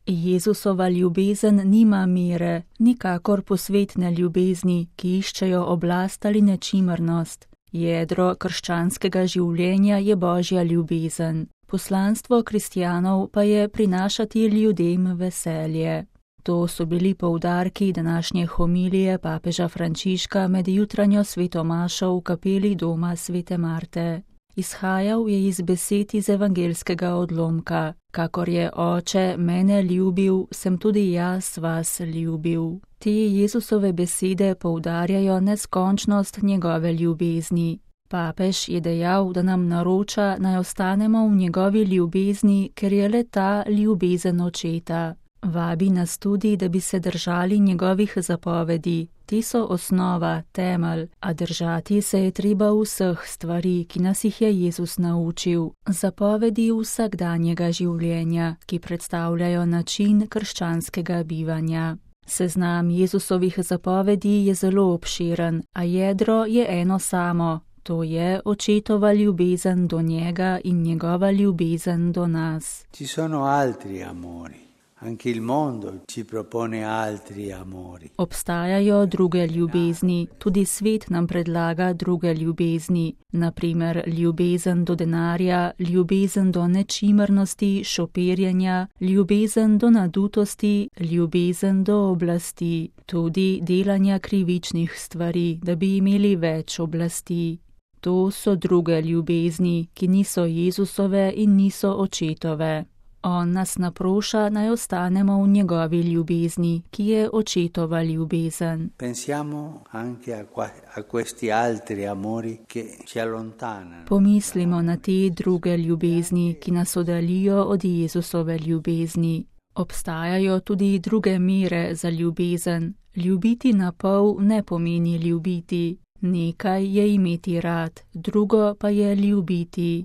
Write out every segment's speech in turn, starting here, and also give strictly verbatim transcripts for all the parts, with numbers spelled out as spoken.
Jezusova ljubezen nima mere, nikakor posvetne ljubezni, ki iščejo oblast ali nečimrnost. Jedro krščanskega življenja je Božja ljubezen. Poslanstvo kristjanov pa je prinašati ljudem veselje. To so bili poudarki današnje homilije papeža Frančiška med jutranjo sveto mašo v kapeli doma svete Marte. Izhajal je iz besed iz evangelskega odlomka: kakor je Oče mene ljubil, sem tudi jaz vas ljubil. Te Jezusove besede poudarjajo neskončnost njegove ljubezni. Papež je dejal, da nam naroča, naj ostanemo v njegovi ljubezni, ker je le ta ljubezen Očeta. Vabi nas tudi, da bi se držali njegovih zapovedi. Ti so osnova, temelj, a držati se je treba vseh stvari, ki nas jih je Jezus naučil. Zapovedi vsakdanjega življenja, ki predstavljajo način krščanskega bivanja. Seznam Jezusovih zapovedi je zelo obširen, a jedro je eno samo. To je Očetova ljubezen do njega in njegova ljubezen do nas. Ci sono altri amori. Anche il mondo ci propone altri amori. Obstajajo druge ljubezni, tudi svet nam predlaga druge ljubezni, naprimer ljubezen do denarja, ljubezen do nečimrnosti, šopirjenja, ljubezen do nadutosti, ljubezen do oblasti, tudi delanja krivičnih stvari, da bi imeli več oblasti. To so druge ljubezni, ki niso Jezusove in niso Očetove. On nas naproša, naj ostanemo v njegovi ljubezni, ki je Očetova ljubezen. Pensiamo anche a, qua, a questi altri amori che ci allontanano. Pomislimo na te druge ljubezni, ki nas oddaljijo od Jezusove ljubezni. Obstajajo tudi druge mere za ljubezen. Ljubiti na pol ne pomeni ljubiti. Nekaj je imeti rad, drugo pa je ljubiti.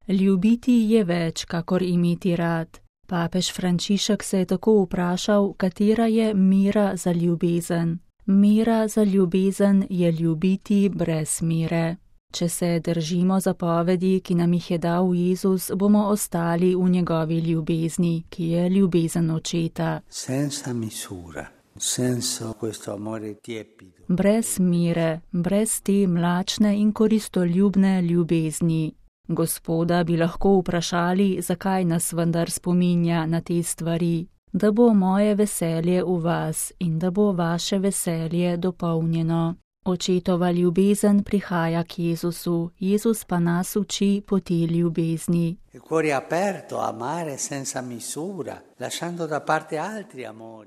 Ljubiti je več, kakor imeti rad. Papež Frančišek se je tako vprašal, katera je mera za ljubezen. Mera za ljubezen je ljubiti brez mere. Če se držimo zapovedi, ki nam jih je dal Jezus, bomo ostali v njegovi ljubezni, ki je ljubezen Očeta. Senza misura, senza questo amore tiepido. Brez mere, brez te mlačne in koristoljubne ljubezni. Gospoda bi lahko vprašali, zakaj nas vendar spominja na te stvari, da bo moje veselje v vas in da bo vaše veselje dopolnjeno. Očetova ljubezen prihaja k Jezusu, Jezus pa nas uči poti ljubezni.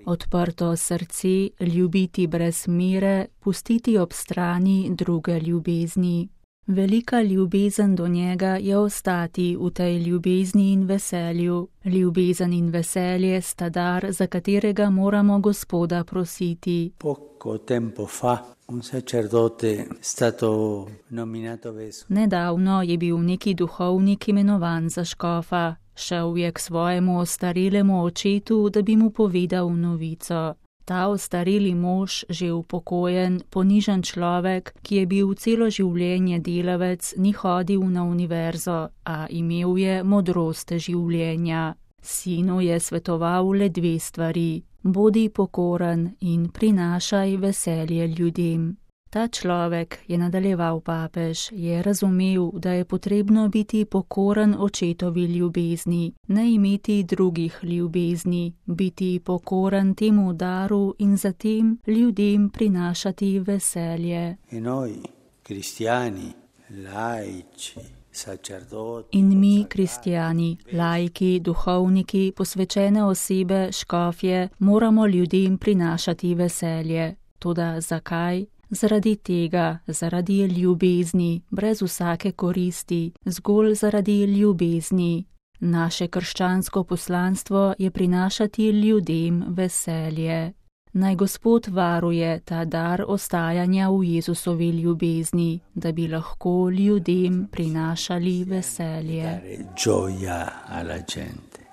Odprto srce, ljubiti brez mere, pustiti ob strani druge ljubezni. Velika ljubezen do njega je ostati v tej ljubezni in veselju. Ljubezen in veselje sta dar, za katerega moramo Gospoda prositi. Poco tempo fa un sacerdote stato nominato vescovo. Nedavno je bil neki duhovnik imenovan za škofa. Šel je k svojemu ostarelemu očetu, da bi mu povedal novico. Ta ostareli mož, že upokojen, ponižen človek, ki je bil celo življenje delavec, ni hodil na univerzo, a imel je modrost življenja. Sinu je svetoval le dve stvari: bodi pokoren in prinašaj veselje ljudem. Ta človek, je nadaljeval papež, je razumel, da je potrebno biti pokoren Očetovi ljubezni, ne imeti drugih ljubezni, biti pokoren temu daru in zatem ljudem prinašati veselje. E noi, kristjani, laici, sacerdoti, in mi, kristjani, laiki, duhovniki, posvečene osebe, škofje, moramo ljudem prinašati veselje. Toda zakaj? Zaradi tega, zaradi ljubezni, brez vsake koristi, zgolj zaradi ljubezni. Naše krščansko poslanstvo je prinašati ljudem veselje. Naj Gospod varuje ta dar ostajanja v Jezusovi ljubezni, da bi lahko ljudem prinašali veselje. Gioia alla gente.